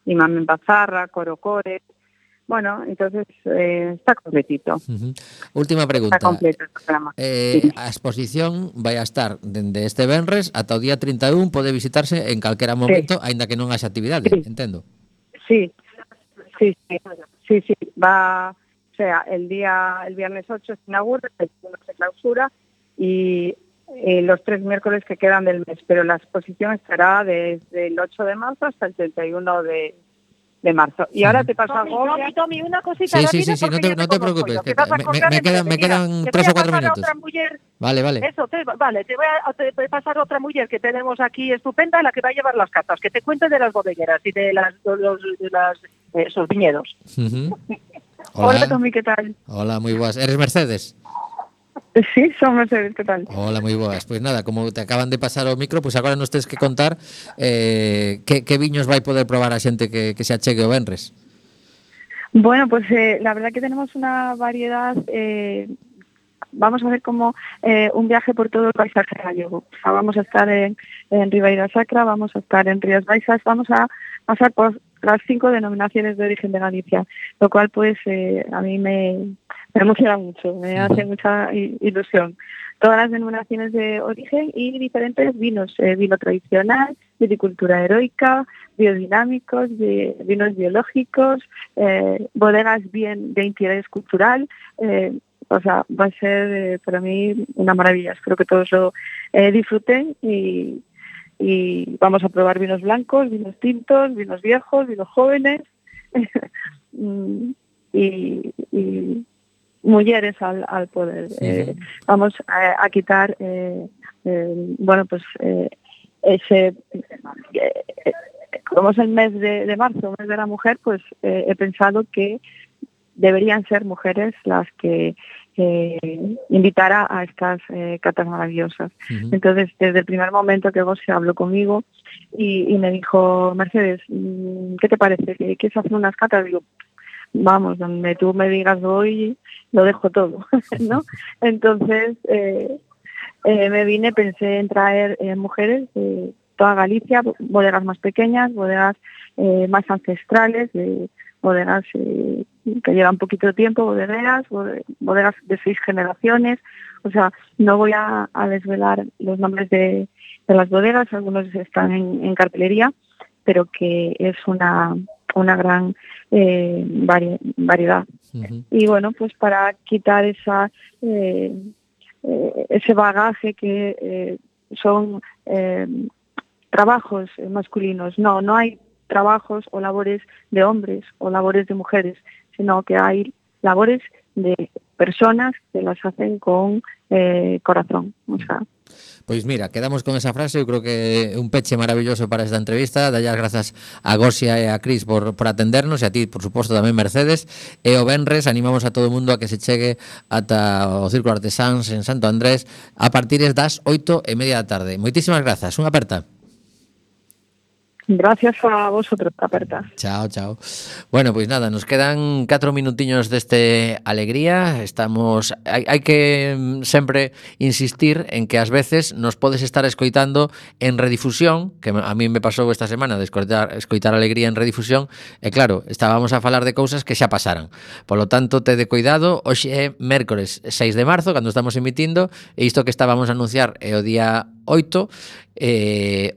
Mamen Bazarra, Coro Core. Bueno, entonces está completito. Última pregunta. Está completo el programa. A exposición vai a estar dende este venres ata o día 31, pode visitarse en calquera momento, aínda que non haxa actividade, entendo. Sí. Va, o sea, el viernes 8 se inaugura, el 1 se clausura y los 3 miércoles que quedan del mes, pero la exposición estará desde el 8 de marzo hasta el 31 de marzo. Y ahora te paso a Gosia. Tommy, una cosita Sí, no te preocupes, que me quedan 3 o 4 minutos. Vale. Eso, te voy a pasar otra mujer que tenemos aquí estupenda, la que va a llevar las catas, que te cuente de las bodegueras y de esos viñedos. Hola, Tommy, ¿qué tal? Hola, moi boas. Eres Mercedes? Sí, son Mercedes, ¿qué tal? Hola, moi boas. Pois nada, como te acaban de pasar o micro, pois agora nos tens que contar que viños vai poder probar a xente que se achegue o venres. Bueno, pues la verdad que tenemos una variedad. Vamos a hacer como un viaje por todo el paisaje gallego. O sea, vamos a estar en Ribeira Sacra, vamos a estar en Rías Baixas, vamos a pasar por las 5 denominaciones de origen de Galicia, lo cual pues a mí me emociona mucho, me hace mucha ilusión. Todas las denominaciones de origen y diferentes vinos, vino tradicional, viticultura heroica, biodinámicos, vinos biológicos, bodegas bien de interés cultural. O sea, va a ser para mí una maravilla. Espero que todos lo disfruten y vamos a probar vinos blancos, vinos tintos, vinos viejos, vinos jóvenes y mujeres al poder. Vamos a quitar, ese... como es el mes de marzo, mes de la mujer, pues he pensado que deberían ser mujeres las que invitara a estas catas maravillosas. Entonces, desde el primer momento que Gosia habló conmigo y me dijo, Mercedes, ¿qué te parece? ¿Que quieres hacer unas catas? Digo, vamos, donde tú me digas hoy, lo dejo todo, ¿no? Entonces, me vine, pensé en traer mujeres de toda Galicia, bodegas más pequeñas, bodegas más ancestrales, bodegas que llevan poquito de tiempo, bodegas de 6 generaciones. O sea, no voy a desvelar los nombres de las bodegas, algunos están en cartelería, pero que es una gran variedad. Y bueno, pues para quitar ese bagaje que son trabajos masculinos. No hay trabajos o labores de hombres o labores de mujeres, sino que hay labores de personas que las hacen con corazón. O sea, Pois mira, quedamos con esa frase. Eu creo que é un peche maravilloso para esta entrevista. Dalle as grazas a Gosia e a Cris por atendernos, e a ti, por suposto, tamén Mercedes. E o venres animamos a todo o mundo a que se chegue ata o Círculo Artesáns en Santo Andrés a partir das 8:30 da tarde. Moitísimas grazas, unha aperta. Gracias a vosotros, aperta. Chao. Bueno, pues nada, nos quedan 4 minutiños deste alegría. Hai que sempre insistir en que ás veces nos podes estar escoitando en redifusión, que a mí me pasou esta semana de escoitar alegría en redifusión, e claro, estábamos a falar de cousas que xa pasaran. Polo tanto, tede cuidado. Hoxe é mércores 6 de marzo, cando estamos emitindo, e isto que estábamos a anunciar é o día 8,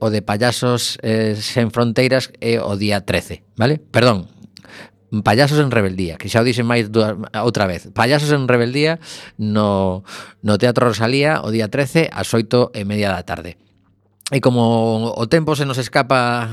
o de Payasos sen fronteiras é o día 13, vale? Perdón, Payasos en rebeldía, que xa o dixen máis outra vez. Payasos en rebeldía no Teatro Rosalía o día 13 ás 8:30 da tarde. E como o tempo se nos escapa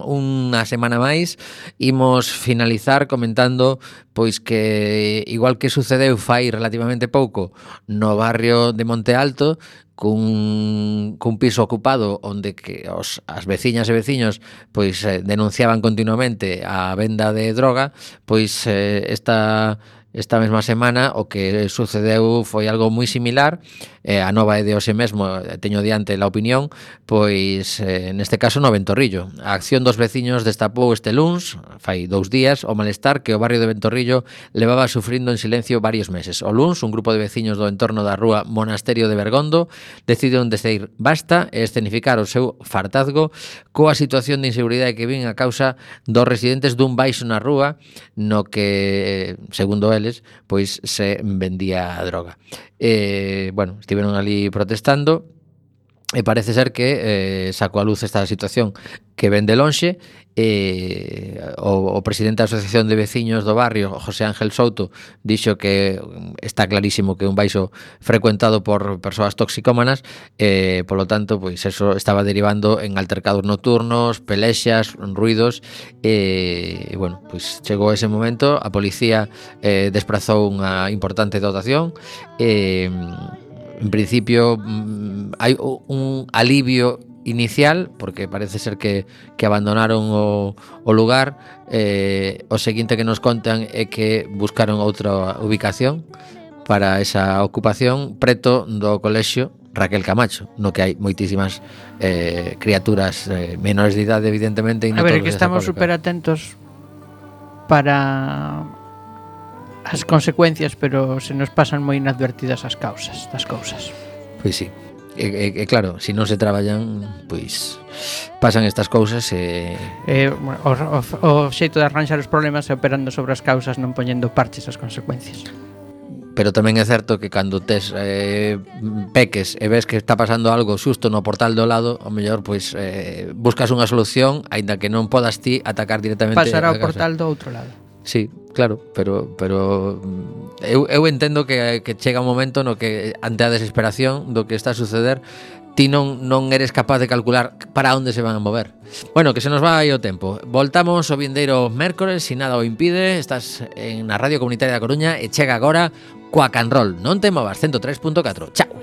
unha semana máis, imos finalizar comentando pois que, igual que sucedeu fai relativamente pouco no barrio de Monte Alto, cun piso ocupado onde que as veciñas e veciños pois denunciaban continuamente a venda de droga, pois esta esta mesma semana o que sucedeu foi algo moi similar. A nova é de hoxe mesmo, teño diante a opinión, pois neste caso no Ventorrillo. A acción dos veciños destapou este luns, fai 2 días, o malestar que o barrio de Ventorrillo levaba sufrindo en silencio varios meses. O luns, un grupo de veciños do entorno da rúa Monasterio de Bergondo decidiron decir basta e escenificar o seu fartazgo coa situación de inseguridade que vin a causa dos residentes dun baixo na rúa no que, segundo eles, pois se vendía droga. Bueno, estiveron ali protestando e parece ser que sacou a luz esta situación que ven de lonxe. O presidente da Asociación de Veciños do barrio, José Ángel Souto, dixo que está clarísimo que é un baixo frecuentado por persoas toxicómanas, polo tanto, pois eso estaba derivando en altercados nocturnos, pelexas, ruidos, e bueno, pois chegou ese momento, a policía desprazou unha importante dotación, en principio hai un alivio inicial, porque parece ser que abandonaron o lugar. O seguinte que nos contan é que buscaron outra ubicación para esa ocupación preto do colexio Raquel Camacho, no que hai moitísimas criaturas menores de idade, evidentemente. A ver, que estamos super atentos para as consecuencias, pero se nos pasan moi inadvertidas as causas das cousas. Pois sí. E claro, se non se traballan, pois pasan estas cousas e... O xeito de arranxar os problemas é operando sobre as causas, non poñendo parches ás consecuencias. Pero tamén é certo que cando tes peques e ves que está pasando algo xusto no portal do lado, ao mellor pois buscas unha solución, aínda que non podas ti atacar directamente pasar ao portal do outro lado. Sí, claro, pero eu entendo que chega un momento no que ante a desesperación do que está a suceder, ti non eres capaz de calcular para onde se van a mover. Bueno, que se nos vai o tempo. Voltamos o vindeiro mércores, se nada o impide. Estás na Radio Comunitaria da Coruña e chega agora Quack and Roll. Non te movas, 103.4. Chao.